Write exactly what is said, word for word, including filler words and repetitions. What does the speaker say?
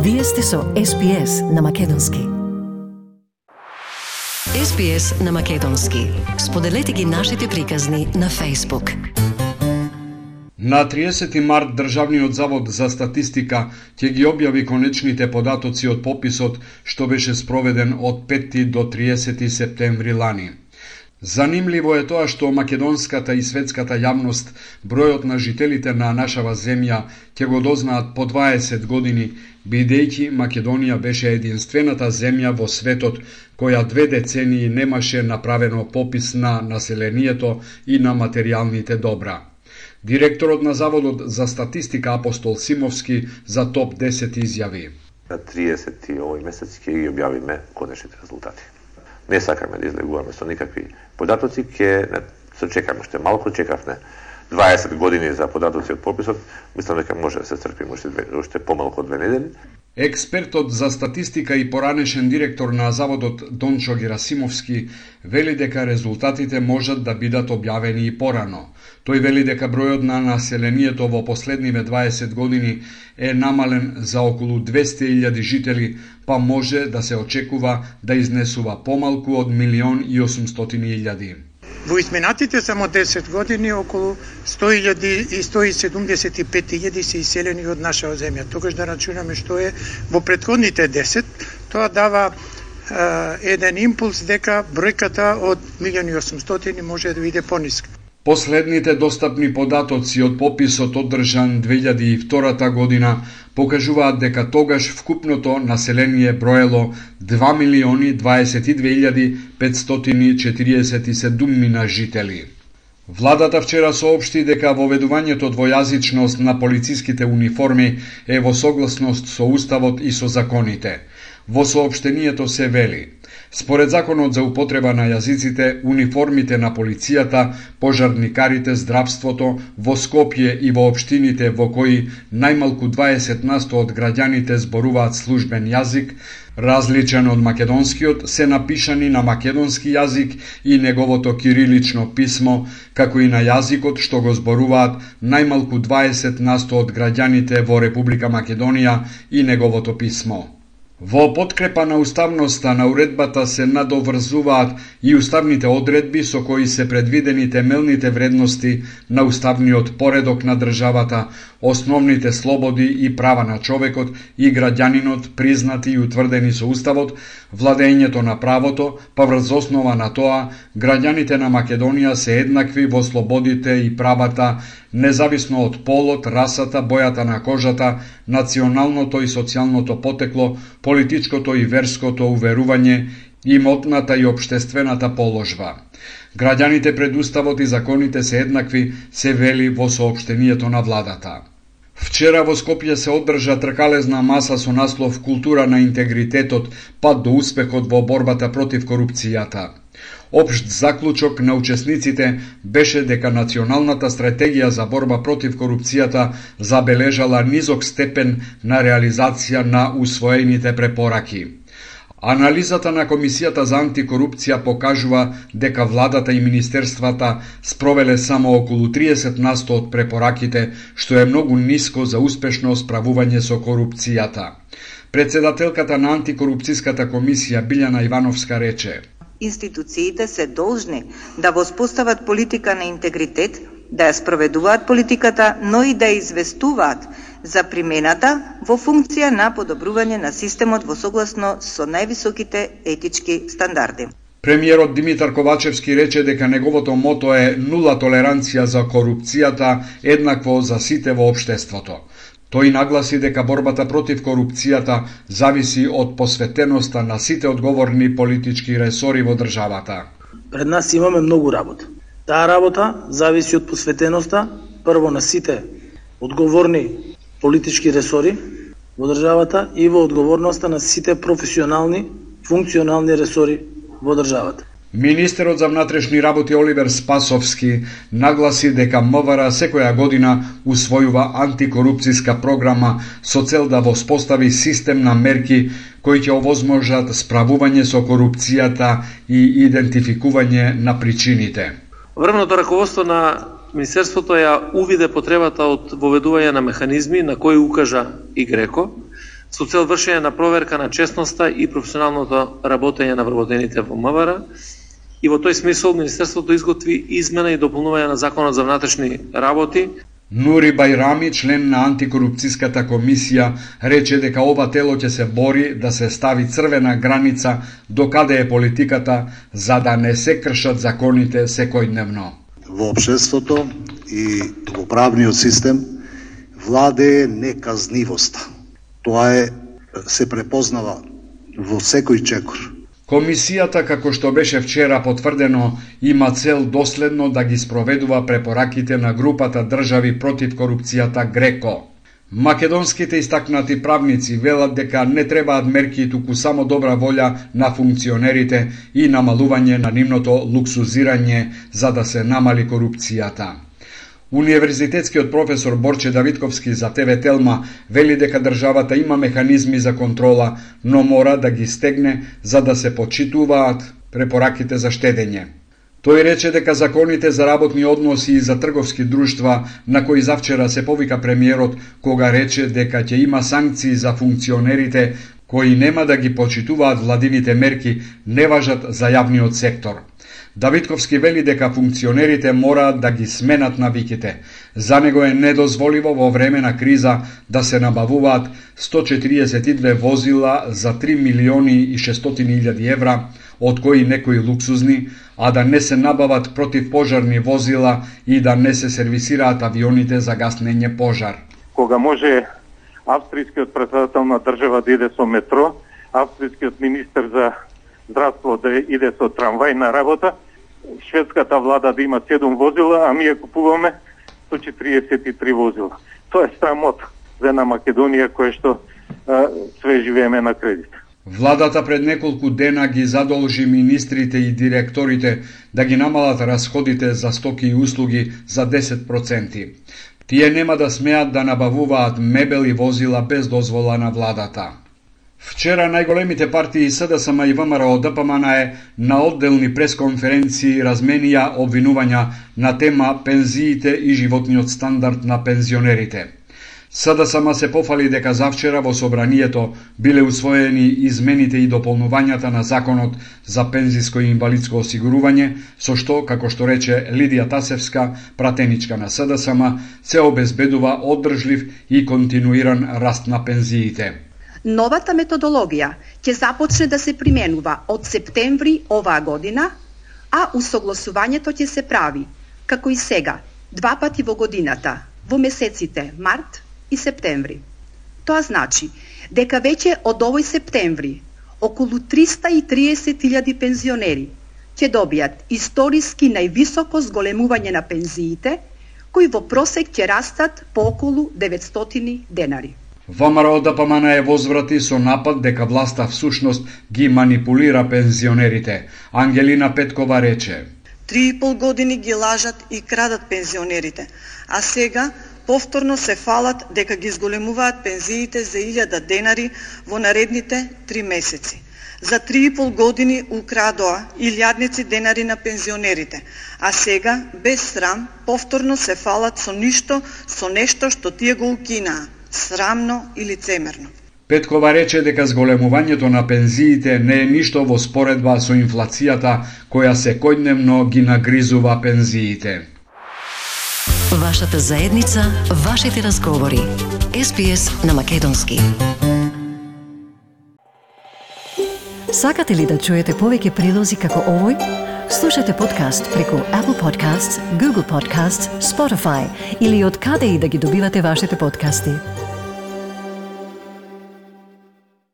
Вие сте со Ес Би Ес на Македонски. Ес Би Ес на Македонски. Споделете ги нашите приказни на Facebook. На триесети март Државниот завод за статистика ќе ги објави конечните податоци од пописот што беше спроведен од пети до триесети септември лани. Занимливо е тоа што македонската и светската јавност бројот на жителите на нашава земја ќе го дознаат по дваесет години, бидејќи Македонија беше единствената земја во светот која две децении немаше направено попис на населението и на материјалните добра. Директорот на Заводот за статистика Апостол Симовски за топ десет изјави. На триесети овој месец ќе ги објавиме конечните резултати. Не сакаме да излегуваме со никакви податоци, ќе се чекаме уште малку, чекавме дваесет години за податоци од пописот, мислам дека може да се црпиме уште, уште помалку од две недели. Експертот за статистика и поранешен директор на Заводот Дончо Герасимовски вели дека резултатите можат да бидат објавени и порано. Тој вели дека бројот на населението во последниве дваесет години е намален за околу двесте илјади жители, па може да се очекува да изнесува помалку од милион и осумстотини илјади. Во изминатите само десет години околу сто илјади и сто и седумдесет и пет илјади се иселени од нашава земја. Тогаш да рачунаме што е во претходните десет, тоа дава е, еден импулс дека бројката од милион и осумстотини може да биде пониска. Последните достапни податоци од пописот одржан две илјади и втора година покажуваат дека тогаш вкупното население броело два милиони дваесет и две илјади петстотини четириесет и седум жители. Владата вчера соопшти дека воведувањето двојазичност на полициските униформи е во согласност со Уставот и со законите. Во соопштението се вели: според законот за употреба на јазиците, униформите на полицијата, пожарникарите, здравството во Скопје и во општините во кои најмалку дваесет насто од граѓаните зборуваат службен јазик, различен од македонскиот, се напишани на македонски јазик и неговото кирилично писмо, како и на јазикот што го зборуваат најмалку дваесет насто од граѓаните во Република Македонија и неговото писмо. Во подкрепа на уставноста на уредбата се надоврзуваат и уставните одредби со кои се предвидени темелните вредности на уставниот поредок на државата, основните слободи и права на човекот и граѓанинот признати и утврдени со Уставот, владењето на правото, па врз основа на тоа, граѓаните на Македонија се еднакви во слободите и правата, независно од полот, расата, бојата на кожата, националното и социјалното потекло, политичкото и верското уверување, имотната и општествената положба. Граѓаните пред Уставот и законите се еднакви, се вели во соопштението на владата. Вчера во Скопје се одржа тркалезна маса со наслов Култура на интегритетот, пат до успехот во борбата против корупцијата. Општ заклучок на учесниците беше дека Националната стратегија за борба против корупцијата забележала низок степен на реализација на усвоените препораки. Анализата на Комисијата за антикорупција покажува дека владата и министерствата спровеле само околу триесет насто од препораките, што е многу ниско за успешно справување со корупцијата. Председателката на антикорупцијската комисија Билјана Ивановска рече: институциите се должни да воспостават политика на интегритет, да ја спроведуваат политиката, но и да ја известуваат за примената во функција на подобрување на системот во согласно со највисоките етички стандарди. Премиерот Димитар Ковачевски рече дека неговото мото е нула толеранција за корупцијата, еднакво за сите во општеството. Тој нагласи дека борбата против корупцијата зависи од посветеноста на сите одговорни политички ресори во државата. Пред нас имаме многу работа. Таа работа зависи од посветеноста прво на сите одговорни политички ресори во државата и во одговорноста на сите професионални, функционални ресори во државата. Министерот за внатрешни работи Оливер Спасовски нагласи дека МВР секоја година усвојува антикорупцијска програма со цел да воспостави систем на мерки кои ќе овозможат справување со корупцијата и идентификување на причините. Врвното раководство на Министерството ја увиде потребата од воведување на механизми на кои укажа и Греко, со цел вршење на проверка на честноста и професионалното работење на вработените во МВР. И во тој смисол Министерството изготви измена и дополнување на Законот за внатрешни работи. Нури Бајрами, член на антикорупцијската комисија, рече дека ова тело ќе се бори да се стави црвена граница до каде е политиката, за да не се кршат законите секојдневно. Во општеството и во правниот систем владее неказнивоста. Тоа е се препознава во секој чекор. Комисијата, како што беше вчера потврдено, има цел доследно да ги спроведува препораките на групата држави против корупцијата ГРЕКО. Македонските истакнати правници велат дека не требаат мерки, туку само добра волја на функционерите и намалување на нивното луксузирање за да се намали корупцијата. Универзитетскиот професор Борче Давидковски за Те Ве Телма вели дека државата има механизми за контрола, но мора да ги стегне за да се почитуваат препораките за штедење. Тој рече дека законите за работни односи и за трговски друштва, на кои завчера се повика премиерот, кога рече дека ќе има санкции за функционерите кои нема да ги почитуваат владините мерки, не важат за јавниот сектор. Давидковски вели дека функционерите мораат да ги сменат навиките. За него е недозволиво во време на криза да се набавуваат сто четириесет и две возила за три милиони и шестстотини илјади евра, од кои некои луксузни, а да не се набават противпожарни возила и да не се сервисираат авионите за гаснење пожар. Кога може австријскиот председател на држава да иде со метро, австријскиот министер за здравство да иде со трамвај на работа, шведската влада да има седум возила, а ние купуваме сто четириесет и три возила. Тоа е срамот за една Македонија која што а, све живееме на кредит. Владата пред неколку дена ги задолжи министрите и директорите да ги намалат расходите за стоки и услуги за десет проценти. Тие нема да смеат да набавуваат мебел и возила без дозвола на владата. Вчера најголемите партии СДСМ и ВМРО Д П М Н Е на одделни пресконференции разменија обвинувања на тема пензиите и животниот стандард на пензионерите. СДСМ се пофали дека завчера во собранието биле усвоени измените и дополнувањата на Законот за пензиско и инвалидско осигурување, со што, како што рече Лидија Тасевска, пратеничка на СДСМ, се обезбедува одржлив и континуиран раст на пензиите. Новата методологија ќе започне да се применува од септември оваа година, а усогласувањето ќе се прави, како и сега, два пати во годината, во месеците март и септември. Тоа значи дека веќе од овој септември околу триста и триесет илјади пензионери ќе добијат историски највисоко зголемување на пензиите, кои во просек ќе растат по околу деветстотини денари. ВМРО Д П М Н Е возврати со напад дека власта всушност ги манипулира пензионерите. Ангелина Петкова рече: Три и пол години ги лажат и крадат пензионерите, а сега повторно се фалат дека ги зголемуваат пензиите за илјада денари во наредните три месеци. За три и пол години украдоа илјадници денари на пензионерите, а сега, без срам, повторно се фалат со ништо, со нешто што тие го укинаа. Срамно и лицемерно. Петкова рече дека зголемувањето на пензиите не е ништо во споредба со инфлацијата која секојдневно ги нагризува пензиите. Вашата заедница, вашите разговори. Ес Би Ес на македонски. Сакате ли да чуете повеќе прилози како овој? Слушате подкаст преку Apple Podcasts, Google Podcasts, Spotify или од каде и да ги добивате вашите подкасти.